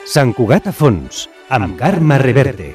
Sant Cugat a fons, amb Carme Reverte.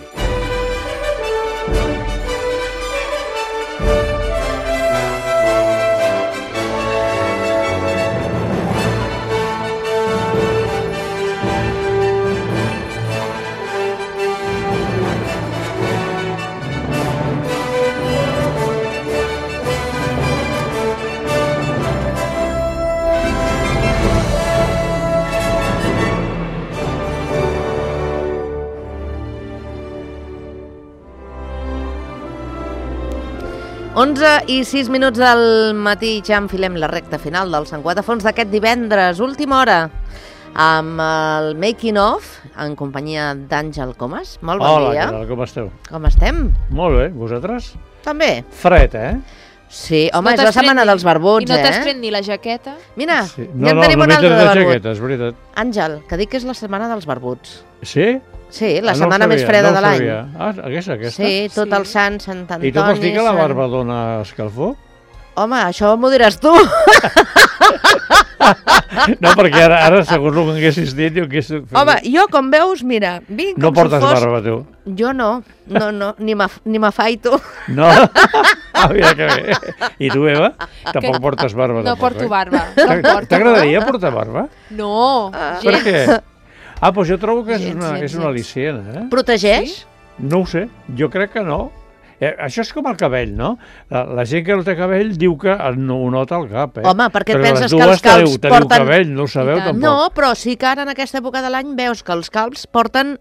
i 6 minuts del matí, ja enfilem la recta final del Sant Cugat a fons d'aquest divendres, última hora, amb el Making of, en companyia d'Àngel Comas. Molt bon dia. Hola, com esteu? Com estem? Molt bé, vosaltres? També. Fred, eh? Sí, home, és la setmana dels barbuts, I no t'has pres ni la jaqueta? Mira, sí. ja en tenim una altra de barbut. Jaqueta, és veritat. Àngel, que dic que és la setmana dels barbuts. Sí? Sí, la setmana més freda de l'any. Aquesta? Sí, tot el sant, Sant Antoni... I tu vols dir que la barba dona escalfor? Home, això m'ho diràs tu. No, perquè ara segons el que haguessis dit... Home, jo, com veus, mira, vinc com si fos... No portes barba, tu? Jo no, ni m'afaito. No? Mira que bé. I tu, Eva? Tampoc portes barba. No porto barba. T'agradaria portar barba? No, Per què? Doncs jo trobo que és una al·licient, eh? Protegeix? Sí. No ho sé, jo crec que no. Això és com el cabell, no? La gent que no té cabell diu que no ho nota al cap, eh? Home, perquè penses que els calbs porten... Teniu cabell, no ho sabeu tampoc. No, però sí que ara en aquesta època de l'any veus que els calbs porten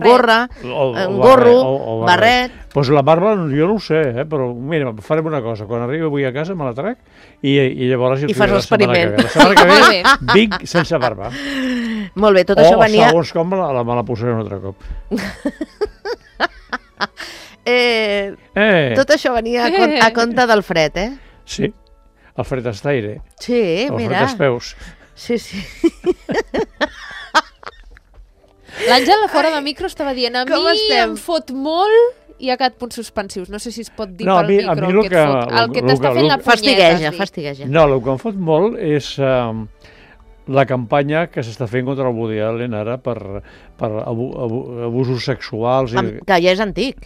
gorra, gorro, barret... Doncs la barba jo no ho sé, però mira, farem una cosa. Quan arribi avui a casa me la trec i llavors... I fas l'experiment. La setmana que ve vinc sense barba. Molt bé, tot això venia... O segons com me la posaré un altre cop. Tot això venia a compte del fred, eh? Sí, el fred estaire. Sí, mira. El fred espeus. Sí, sí. L'Àngel fora de micro estava dient a mi em fot molt i ha quedat punts suspensius. No sé si es pot dir pel micro el que et fot. El que t'està fent la punyeta. Fastigueja. No, el que em fot molt és... la campanya que s'està fent contra el Woody Allen ara per abusos sexuals. Que ja és antic.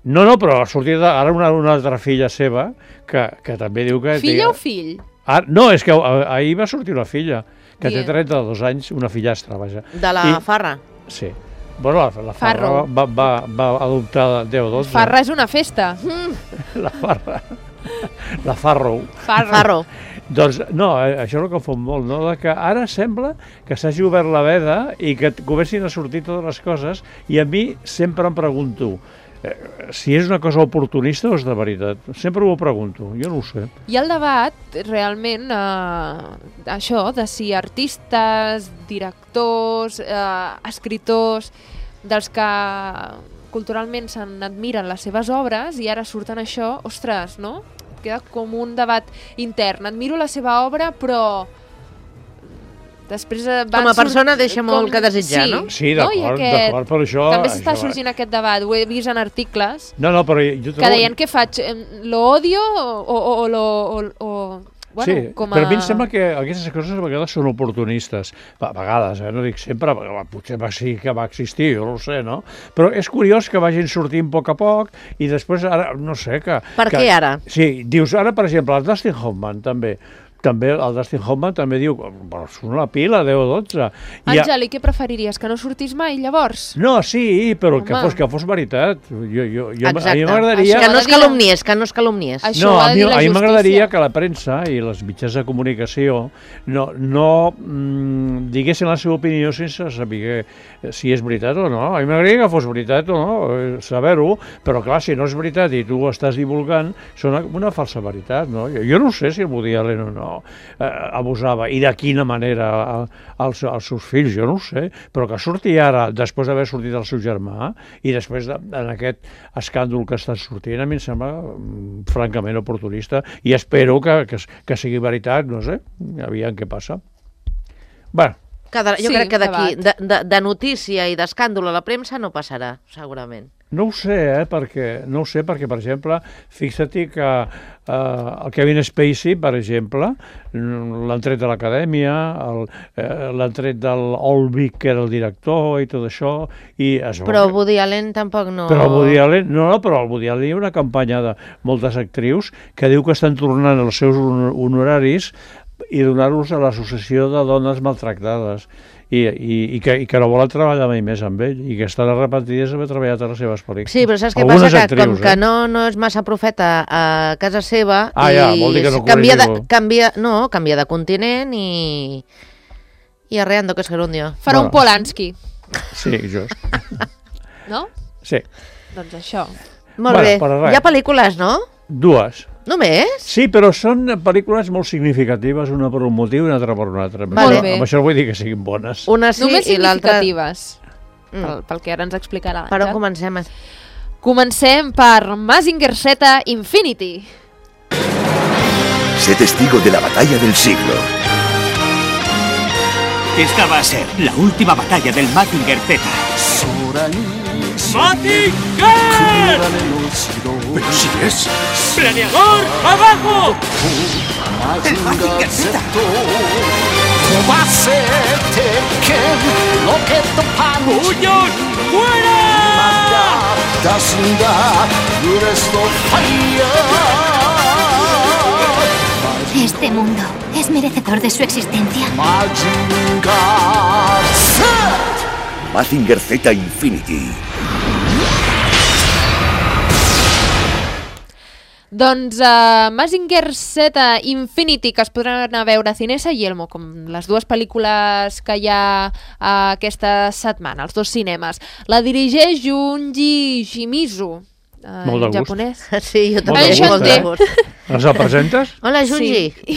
No, però ha sortit ara una altra filla seva que també diu que... Filla o fill? No, és que ahir va sortir una filla que té 32 anys, una fillastra, vaja. De la Farra? Sí. Bueno, la Farra va adoptar 10 o 12. Farra és una festa. La Farra. La Farro. Farro. Doncs no, això és el que em fot molt, no? Que ara sembla que s'hagi obert la veda i que comencin a sortir totes les coses i a mi sempre em pregunto si és una cosa oportunista o és de veritat. Sempre ho pregunto, jo no ho sé. Hi ha el debat, realment, això, de si artistes, directors, escriptors, dels que culturalment se'n admiren les seves obres i ara surten això, ostres, no? Queda com un debat intern. Admiro la seva obra, però després com a persona deixa molt que desitjar, no? Sí, d'acord, per això... També s'està sorgint aquest debat, ho he vist en articles, però jo que deien, què faig? Lo odio o lo... Bueno, sí, però a mi em sembla que aquestes coses a vegades són oportunistes. A vegades, no dic sempre, potser sí que va existir, jo no ho sé, no? Però és curiós que vagin sortint a poc i després ara, no sé, que... Per què ara? Sí, dius, ara, per exemple, el Dustin Hoffman també el Dustin Hoffman també diu són una pila, 10 o 12. Àngel, i què preferiries? Que no sortís mai, llavors? No, sí, però que fos veritat. Exacte. A mi m'agradaria... Que no es calumniés. No, a mi m'agradaria que la premsa i les mitjans de comunicació no diguessin la seva opinió sense saber si és veritat o no. A mi m'agradaria que fos veritat o no, saber-ho, però clar, si no és veritat i tu ho estàs divulgant, són una falsa veritat, no? Jo no sé si el Woody Allen o no abusava i de quina manera als seus fills, jo no ho sé, però que surti ara, després d'haver sortit el seu germà i després en aquest escàndol que està sortint, a mi em sembla francament oportunista i espero que sigui veritat, no sé, aviam què passa. Bé, Jo Sí, crec que d'aquí, debat. de notícia i d'escàndol a la premsa no passarà, segurament. No ho sé, perquè, per exemple, fixa-t'hi que el Kevin Spacey, per exemple, l'han tret de l'acadèmia, l'han tret del Olvig, que era el director, i tot això, i es veu Però que- Woody Allen tampoc no... Però el Woody Allen, però el Woody Allen hi ha una campanya de moltes actrius que diu que estan tornant els seus honoraris i donar-los a l'Associació de Dones Maltractades i que no volen treballar mai més amb ell i que estan arrepentides d'haver treballat a les seves pel·lícules. Sí, però saps què Algunes passa? Que actrius, com que no és massa profeta a casa seva vol dir que no canvia corregir-lo. de continent i arreando que es gerundio. Farà un Bueno. Polanski, Sí, just. no? Sí. Doncs això. Molt Bueno, bé. però res. Hi ha pel·lícules, no? Dues. Només? Sí, però són pel·lícules molt significatives, una per un motiu i una altra per un altre. Amb Vale. això- Amb això no vull dir que siguin bones. Una sí Només i l'altra... significatives, pel que ara ens explicarà. Per on l'Àngel. comencem? Comencem per Mazinger Z Infinity. Sé testigo de la batalla del siglo. Esta va a ser la última batalla del Mazinger Z. ¡Mazinger! Pero si es ¡Planeador, abajo! el Mazinger Z. ¡Puños, fuera! Este mundo es merecedor de su existencia. Mazinger Z Infinity. Doncs Mazinger Z Infinity, que es podran anar a veure a Cinesa i Elmo, com les dues pel·lícules que hi ha aquesta setmana, els dos cinemes. La dirigeix Junji Shimizu, Molt de en gust. japonès. Sí, jo Molt també. de gust, molt de eh? gust. Ens el presentes? Hola, Junji. Sí.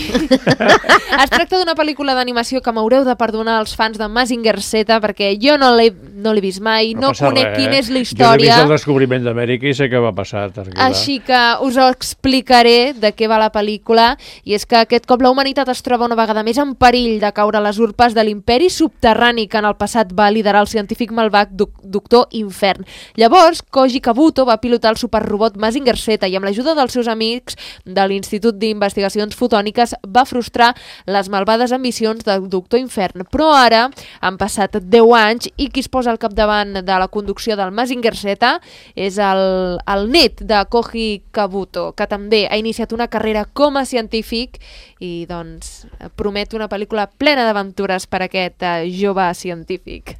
Es tracta d'una pel·lícula d'animació que m'haureu de perdonar als fans de Mazinger Z, perquè jo no l'he vist mai, no passa conec res, quina és la Jo he història. vist el descobriment d'Amèrica i sé què va passar. Tranquil·la. Així que us ho explicaré de què va la pel·lícula, i és que aquest cop la humanitat es troba una vegada més en perill de caure a les urpes de l'imperi subterrani que en el passat va liderar el científic malvat Doctor Infern. Llavors, Koji Kabuto va pilotar el superrobot Mazinger Z i amb l'ajuda dels seus amics de l'Institut d'Investigacions Fotòniques va frustrar les malvades ambicions del Doctor Infern. Però ara han passat 10 anys i qui es posa al capdavant de la conducció del Mazinger Z és el net de Koji Kabuto, que també ha iniciat una carrera com a científic i doncs promet una pel·lícula plena d'aventures per a aquest jove científic.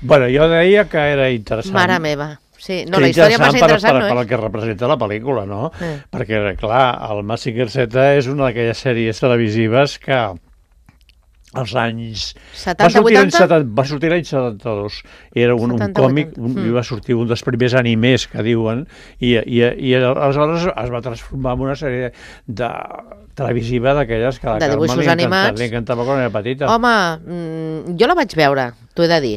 Bueno, jo deia que era interessant. Mare meva. Sí, no, Que la història massa interessant per no el és. que representa la pel·lícula, no? Mm. Perquè, clar, el Mazinger Z és una d'aquelles sèries televisives que als anys... 70, 80? Va sortir l'any 72. Era un 70, còmic, 80. i va sortir un dels primers animés que diuen, i aleshores es va transformar en una sèrie televisiva d'aquelles que a la De Carme dibuixos animats. li encantava quan era petita. Home, jo la vaig veure, t'ho he de dir.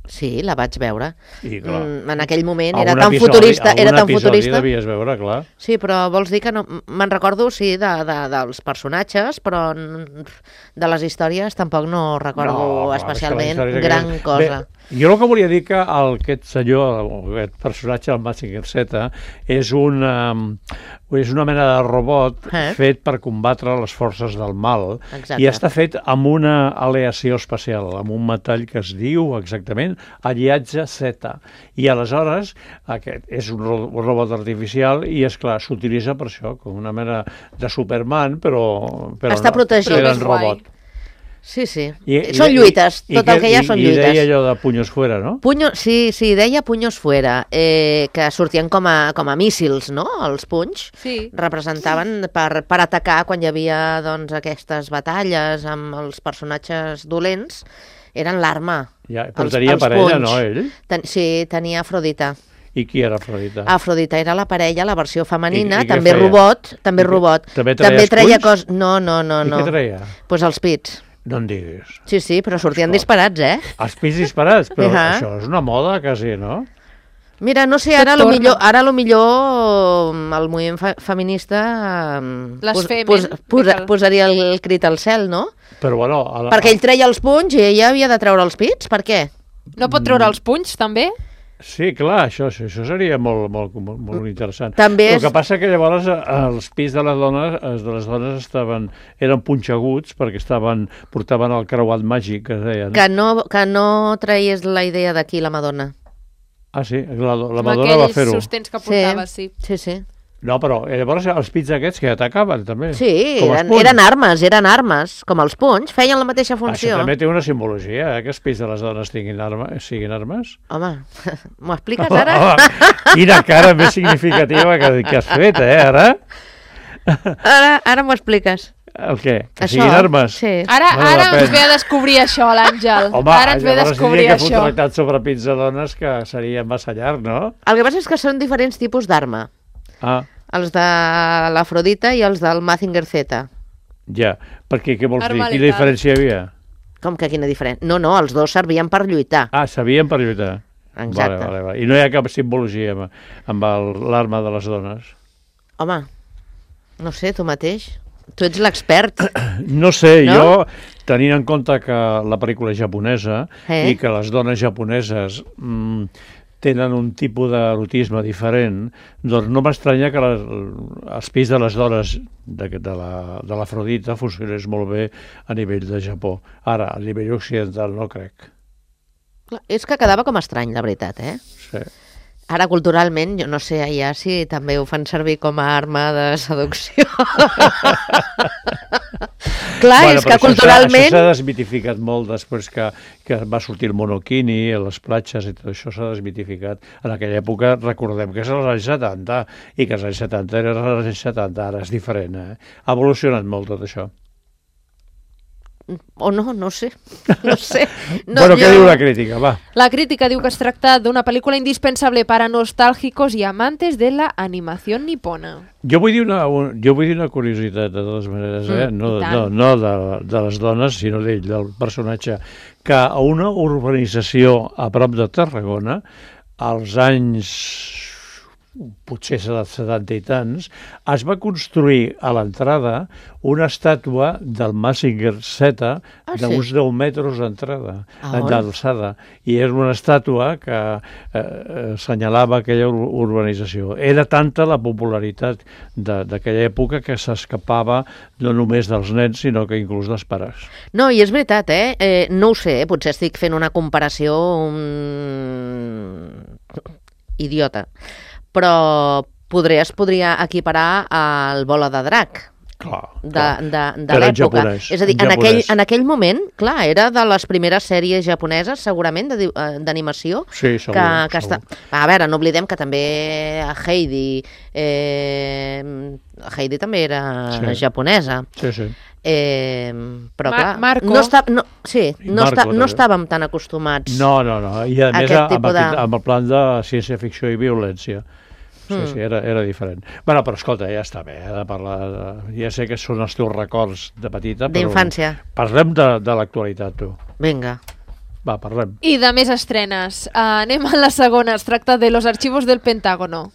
Sí, la vaig veure. I, clar, En aquell moment algun era tan episodi- futurista. Era algun tan episodi futurista. devies veure, clar. Sí, però vols dir que no... Me'n recordo, sí, dels personatges, però de les històries tampoc no recordo clar, especialment és que la història gran que- cosa. Bé, jo el que volia dir que aquest senyor, aquest personatge, el Mazinger Z, és una mena de robot fet per combatre les forces del mal. Exacte. I està fet amb una aleació especial, amb un metall que es diu exactament aliatge Z. I aleshores aquest és un robot artificial i, és clar, s'utilitza per això, com una mena de Superman, però Està protegit. però Però en més guai. robot. Sí, sí. Són lluites, tot el que hi ha són I deia lluites. allò de punyos fuera, no? Sí, deia punyos fuera, que sortien com a míssils, no?, els punys. Sí. Representaven per atacar quan hi havia doncs, aquestes batalles amb els personatges dolents, eren l'arma. Ja, però tenia parella, no, ell? Sí, tenia Afrodita. I qui era Afrodita? Afrodita era la parella, la versió femenina, I què també feia? robot, també I què- robot. també treia treia esculls? coses... No. I què treia? Pues els pits. No en diguis. Sí, però sortien Escolta. disparats, eh? Els pits disparats, però Ahà. això és una moda quasi, no? Mira, no sé, ara lo millor el moviment feminista posaria el crit al cel, no? Però bueno... Perquè ell treia els punys i ella havia de treure els pits, per què? No pot treure els punys, també? Sí, clar, això seria molt interessant. També El que passa que llavors els pits de les dones eren punxeguts perquè portaven el creuat màgic, que es deien. Que no traies la idea d'aquí la Madonna. Ah, sí? La Madonna va fer-ho. Aquells sostens que portava, sí. Sí. No, però llavors els pits aquests que atacaven, també. Sí, eren armes, com els punys, feien la mateixa funció. Això també té una simbologia, que els pits de les dones siguin armes. Home, m'ho expliques ara? Home, quina cara més significativa que has fet, ara? Ara m'ho expliques. El què? Que siguin armes? Sí. Ara ens ve a descobrir això, l'Àngel. Home, ara ens ve a descobrir això. Home, llavors diria que això. un tractat sobre pits de dones que seria massa llarg, no? El que passa és que són diferents tipus d'arma. Ah. Els de l'Afrodita i els del Mazinger Z. Ja, perquè què vols dir? Quina diferència hi havia? Com que quina diferència? No, els dos servien per lluitar. Ah, servien per lluitar. Exacte. Vale. I no hi ha cap simbologia amb l'arma de les dones? Home, no sé, tu mateix. Tu ets l'expert. No sé, no? Jo, tenint en compte que la pel·lícula és japonesa i que les dones japoneses tenen un tipus d'erotisme diferent, doncs no m'estranya que els pits de les dones de l'Afrodita funcionés molt bé a nivell de Japó. Ara, a nivell occidental no crec. És que quedava com estrany, la veritat, Sí. Ara, culturalment, jo no sé allà si també ho fan servir com a arma de seducció. Clar, és que culturalment... Això s'ha desmitificat molt després que va sortir el monokini, les platges i tot això s'ha desmitificat. En aquella època, recordem que és als anys 70, i que als anys 70 era als anys 70, ara és diferent. Ha evolucionat molt tot això. O no sé. No sé. Bueno, què diu la crítica? Va. La crítica diu que es tracta d'una pel·lícula indispensable para nostálgicos y amantes de la animación nipona. Jo vull dir una curiositat, de totes maneres, no de les dones, sinó d'ell, del personatge, que a una urbanització a prop de Tarragona, als anys potser 70 i tants, es va construir a l'entrada una estàtua del Mazinger Z d'uns 10 metres d'alçada. I era una estàtua que assenyalava aquella urbanització. Era tanta la popularitat d'aquella època que s'escapava no només dels nens, sinó que inclús dels pares. No, i és veritat, no ho sé, potser estic fent una comparació idiota, però es podria equiparar al Bola de Drac de l'època. És a dir, en aquell moment, clar, era de les primeres sèries japoneses, segurament, d'animació. Sí, segur. A veure, no oblidem que també Heidi també era japonesa. Sí. Però clar, Marco. no estàvem tan acostumats. No, i a més amb el plan de ciència-ficció i violència. Sí, era diferent. Bueno, però escolta, ja està bé, de parlar... Ja sé que són els teus records de petita, però... D'infància. Parlem de l'actualitat, tu. Vinga. Va, parlem. I de més estrenes. Anem a la segona. Es tracta de Los archivos del Pentágono.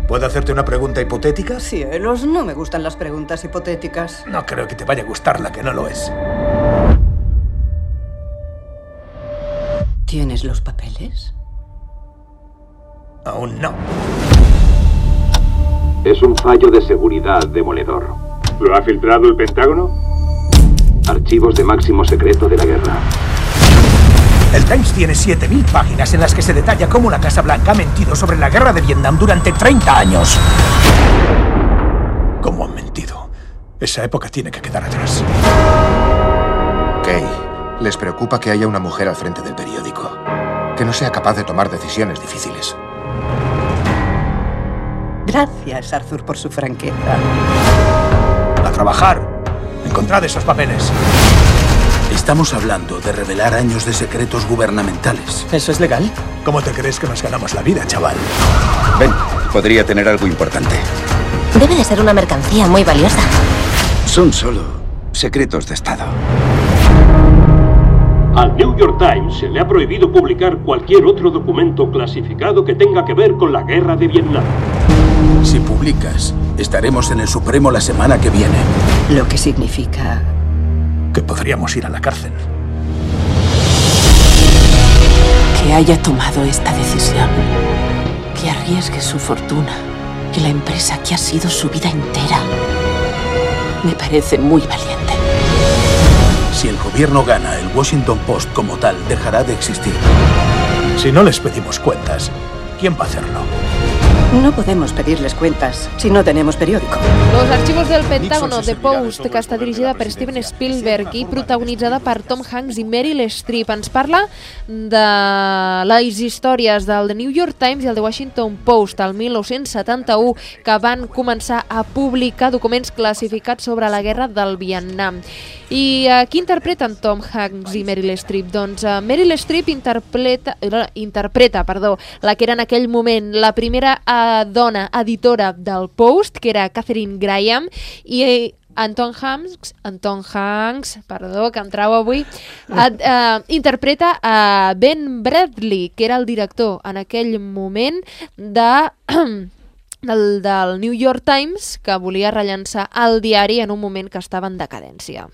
¿Puedo hacerte una pregunta hipotética? Cielos, no me gustan las preguntas hipotéticas. No creo que te vaya a gustar la que no lo es. ¿Tienes los papeles? Aún no. Es un fallo de seguridad demoledor. ¿Lo ha filtrado el Pentágono? Archivos de máximo secreto de la guerra. El Times tiene 7.000 páginas en las que se detalla cómo la Casa Blanca ha mentido sobre la guerra de Vietnam durante 30 años. ¿Cómo han mentido? Esa época tiene que quedar atrás. Kay, les preocupa que haya una mujer al frente del periódico, que no sea capaz de tomar decisiones difíciles. Gracias, Arthur, por su franqueza. A trabajar. Encontrad esos papeles. Estamos hablando de revelar años de secretos gubernamentales. ¿Eso es legal? ¿Cómo te crees que nos ganamos la vida, chaval? Ven, podría tener algo importante. Debe de ser una mercancía muy valiosa. Son solo secretos de Estado. Al New York Times se le ha prohibido publicar cualquier otro documento clasificado que tenga que ver con la guerra de Vietnam. Si publicas, estaremos en el Supremo la semana que viene. Lo que significa que podríamos ir a la cárcel. que haya tomado esta decisión, que arriesgue su fortuna y la empresa que ha sido su vida entera. Me parece muy valiente. Si el gobierno gana, el Washington Post como tal dejará de existir. Si no les pedimos cuentas, ¿quién va a hacerlo? No podemos pedirles cuentas si no tenemos periódico. Los archivos del Pentágono, The Post, que està dirigida per Steven Spielberg i protagonitzada per Tom Hanks i Meryl Streep. Ens parla de les històries del The New York Times i el The Washington Post el 1971, que van començar a publicar documents classificats sobre la guerra del Vietnam. I qui interpreten Tom Hanks i Meryl Streep? Doncs Meryl Streep interpreta la que era en aquell moment la primera dona editora del Post, que era Katharine Graham, i Anton Hanks, perdó, que em trau avui, interpreta a Ben Bradley, que era el director en aquell moment del New York Times, que volia rellançar el diari en un moment que estava en decadència.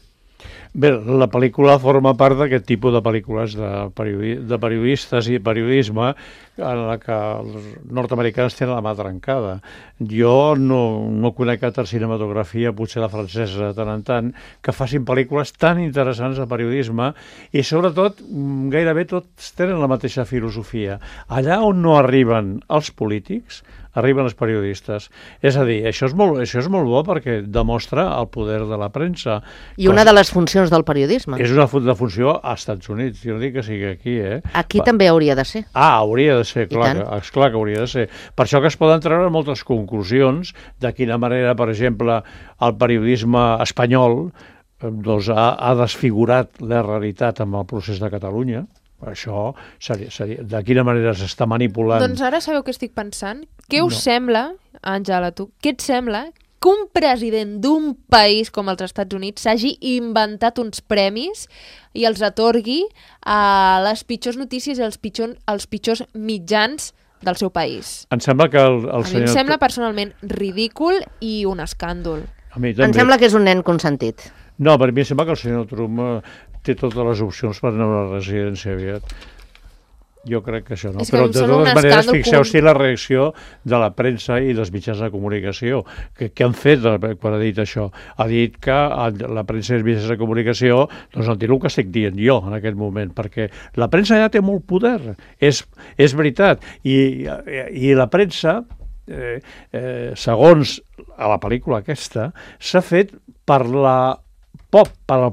Bé, la pel·lícula forma part d'aquest tipus de pel·lícules de periodistes i periodisme en la que els nord-americans tenen la mà trencada. Jo no conec altra cinematografia, potser la francesa de tant en tant, que facin pel·lícules tan interessants de periodisme i sobretot gairebé tots tenen la mateixa filosofia. Allà on no arriben els polítics, arriben els periodistes. És a dir, això és molt bo perquè demostra el poder de la premsa. I una de les funcions del periodisme. És una funció als Estats Units, jo no dic que sigui aquí, Aquí també hauria de ser. Hauria de ser, clar que hauria de ser. Per això que es poden treure moltes conclusions de quina manera, per exemple, el periodisme espanyol ha desfigurat la realitat amb el procés de Catalunya. Això seria de quina manera s'està manipulant. Doncs ara sabeu què estic pensant? Què us sembla, Àngela, tu, què et sembla que un president d'un país com els Estats Units s'hagi inventat uns premis i els atorgui a les pitjors notícies i als pitjors mitjans del seu país? Em sembla que el senyor... A mi em sembla personalment ridícul i un escàndol. Em sembla que és un nen consentit. No, per mi em sembla que el senyor Trump té totes les opcions per anar a una residència aviat. Jo crec que això no. Però de totes maneres, fixeu-s'hi la reacció de la premsa i dels mitjans de comunicació. Què han fet quan ha dit això? Ha dit que la premsa i els mitjans de comunicació doncs el que estic dient jo en aquest moment, perquè la premsa ja té molt poder. És veritat. I la premsa, segons a la pel·lícula aquesta, s'ha fet per al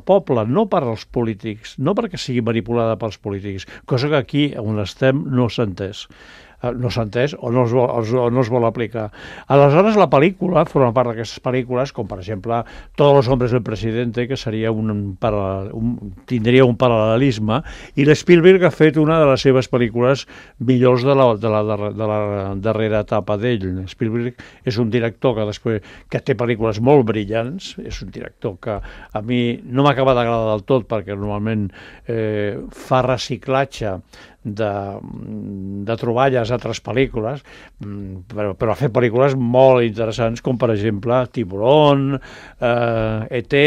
poble, no per als polítics, no perquè sigui manipulada pels polítics, cosa que aquí on estem no s'ha entès. No s'ha entès o no es vol aplicar. Aleshores, la pel·lícula forma part d'aquestes pel·lícules, com per exemple Todos los hombres del presidente, que seria tindria un paral·lelisme, i l'Spielberg ha fet una de les seves pel·lícules millors de la darrera etapa d'ell. Spielberg és un director que té pel·lícules molt brillants, és un director que a mi no m'acaba d'agradar del tot, perquè normalment fa reciclatge de troballes a altres pel·lícules, però ha fet pel·lícules molt interessants, com per exemple Tiburón, E.T.,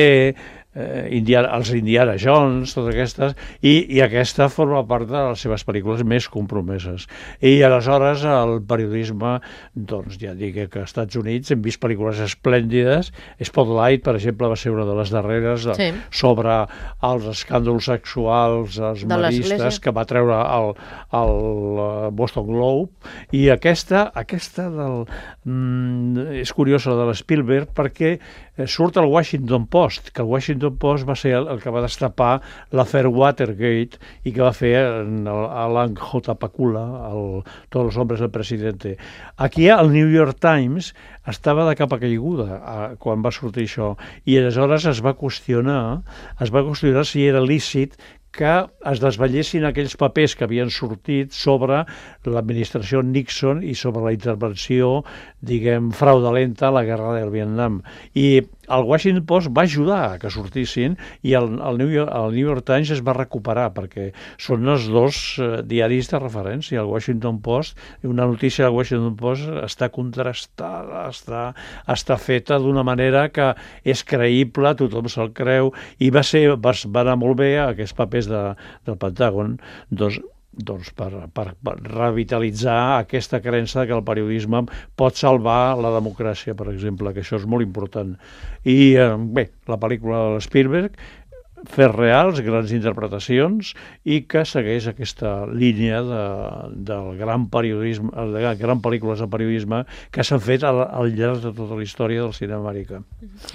els Indiana Jones, totes aquestes, i aquesta forma part de les seves pel·lícules més compromeses. I aleshores el periodisme, doncs ja dic que als Estats Units hem vist pel·lícules esplèndides. Spotlight, per exemple, va ser una de les darreres sobre els escàndols sexuals, els maristes, que va treure el Boston Globe, i aquesta és curiosa de l'Spielberg perquè surt al Washington Post, que el Washington Post va ser el que va destapar l'afer Watergate i que va fer Alan J. Pakula, Todos los hombres del presidente. Aquí el New York Times estava de capa caiguda quan va sortir això, i aleshores es va qüestionar si era lícit que es desvetllessin aquells papers que havien sortit sobre l'administració Nixon i sobre la intervenció, diguem, fraudulenta a la guerra del Vietnam. I el Washington Post va ajudar a que sortissin i el New York Times es va recuperar perquè són els dos diaris de referència. El Washington Post, una notícia del Washington Post està contrastada, està feta d'una manera que és creïble, tothom se'l creu, i va anar molt bé aquests papers del Pentàgon, doncs per revitalitzar aquesta creença que el periodisme pot salvar la democràcia, per exemple, que això és molt important. I bé, la pel·lícula de Spielberg, fets reals, grans interpretacions, i que segueix aquesta línia del gran periodisme, de gran pel·lícules de periodisme que s'han fet al llarg de tota la història del cinema americà.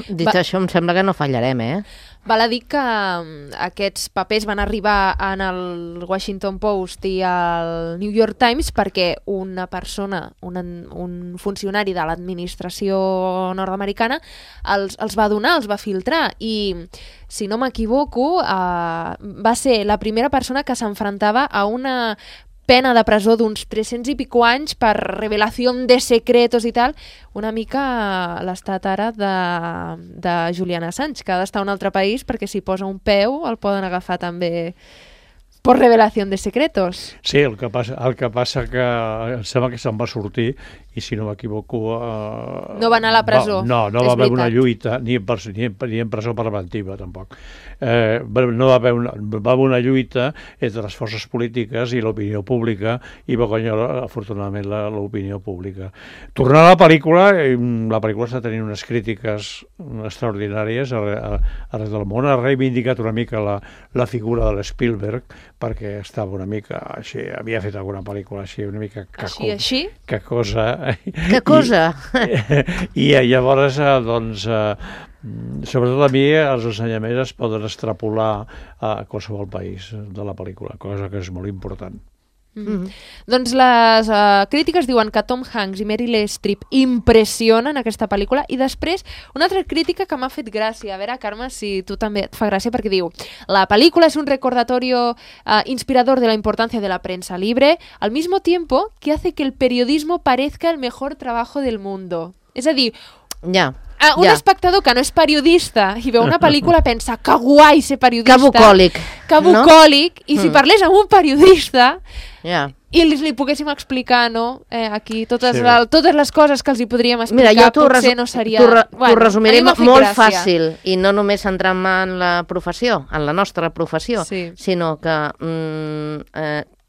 Dit això, em sembla que no fallarem, Val a dir que aquests papers van arribar en el Washington Post i al New York Times perquè una persona, un funcionari de l'administració nord-americana els va donar, els va filtrar, i si no m'equivoco va ser la primera persona que s'enfrontava a una pena de presó d'uns 300 i pico anys per revelació de secretos i tal, una mica l'estat ara de Julian Assange, que ha d'estar a un altre país perquè si posa un peu el poden agafar també per revelació de secretos. Sí, el que passa que em sembla que se'n va sortir i si no m'equivoco... no va anar a la presó. No va haver una lluita, ni en presó preventiva tampoc. No va haver una lluita entre les forces polítiques i l'opinió pública i va guanyar afortunadament l'opinió pública. Tornant a la pel·lícula està tenint unes crítiques extraordinàries arreu del món. Ha reivindicat una mica la figura de l'Spielberg perquè estava una mica així, havia fet alguna pel·lícula així, una mica així? Que cosa... Que cosa? I llavors, doncs, sobretot a mi, els ensenyaments es poden extrapolar a qualsevol país de la pel·lícula, cosa que és molt important. Doncs les crítiques diuen que Tom Hanks i Meryl Streep impressionen aquesta pel·lícula, i després una altra crítica que m'ha fet gràcia, a veure, Carme, si tu també et fa gràcia, perquè diu: la película es un recordatorio inspirador de la importancia de la prensa libre, al mismo tiempo que hace que el periodismo parezca el mejor trabajo del mundo. És a dir, un espectador que no és periodista i veu una pel·lícula pensa que guai ser periodista, que bucòlic, i si parlés amb un periodista i li poguéssim explicar aquí totes les coses que els hi podríem explicar, potser no seria... T'ho resumiré molt fàcil, i no només centrant-me en la professió, en la nostra professió, sinó que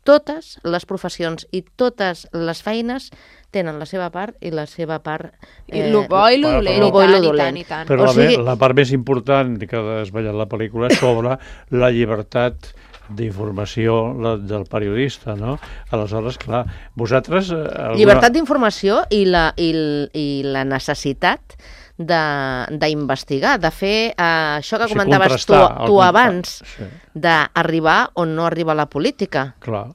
totes les professions i totes les feines tenen la seva part i la seva part... I lo bo i lo dolent. Però la part més important que ha desvetllat la pel·lícula és sobre la llibertat d'informació del periodista, no? Aleshores, clar, vosaltres... Llibertat d'informació i la necessitat d'investigar, de fer això que comentaves tu abans, d'arribar on no arriba la política. Clar,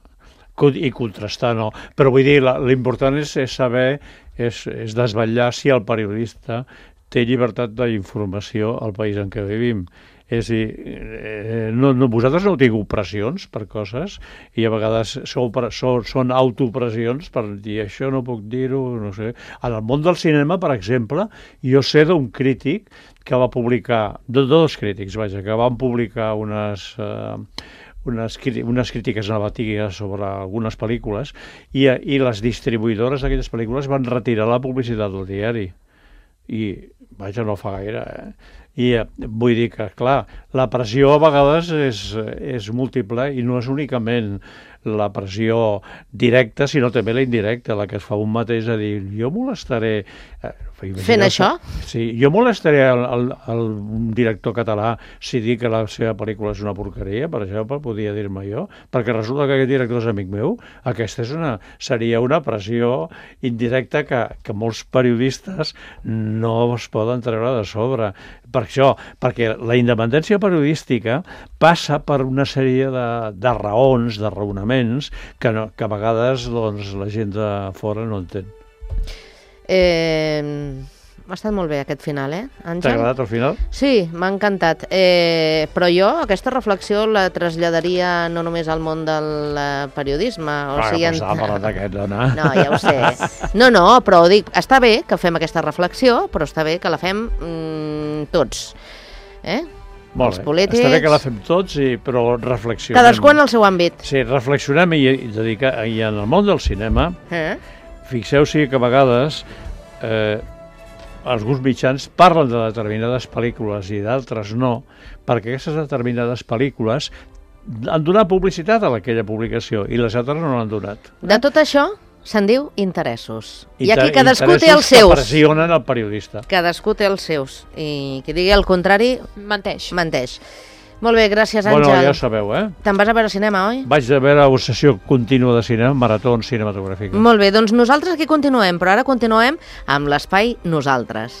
i contrastar, no. Però vull dir, l'important és saber, és desvetllar si el periodista té llibertat d'informació al país en què vivim. És a dir, vosaltres no heu tingut pressions per coses i a vegades són autopressions per dir això no puc dir-ho, no sé. En el món del cinema, per exemple, jo sé d'un crític que va publicar, dos crítics, vaja, que van publicar unes crítiques negatives sobre algunes pel·lícules i les distribuïdores d'aquelles pel·lícules van retirar la publicitat del diari. I, vaja, no fa gaire, I vull dir que, clar, la pressió a vegades és múltiple i no és únicament la pressió directa, sinó també la indirecta, la que es fa un mateix a dir, jo molestaré... Fent això? Sí, jo molestaré el director català si dic que la seva pel·lícula és una porqueria, per exemple, podria dir-me jo, perquè resulta que aquest director és amic meu. Aquesta seria una pressió indirecta que molts periodistes no es poden treure de sobre. Per això, perquè la independència periodística passa per una sèrie de raons, de raonaments, que a vegades la gent de fora no entén. M'ha estat molt bé aquest final, Àngel? T'ha agradat el final? Sí, m'ha encantat. Però jo aquesta reflexió la traslladaria no només al món del periodisme. Estava parlant d'aquest, dona. No, ja ho sé. No, però dic, està bé que fem aquesta reflexió, però està bé que la fem tots. Molt bé, està bé que la fem tots, però reflexionem. Cadascú en el seu àmbit. Sí, reflexionem i en el món del cinema, fixeu-s'hi que a vegades alguns mitjans parlen de determinades pel·lícules i d'altres no, perquè aquestes determinades pel·lícules han donat publicitat a aquella publicació i les altres no l'han donat. De tot això se'n diu interessos. I aquí cadascú té els seus. Interessos que pressionen el periodista. Cadascú té els seus. I qui digui el contrari... Menteix. Molt bé, gràcies, Àngel. Bueno, ja ho sabeu, Te'n vas a veure cinema, oi? Vaig a veure una sessió contínua de cinema, marató cinematogràfica. Molt bé, doncs nosaltres aquí continuem, però ara continuem amb l'espai Nosaltres.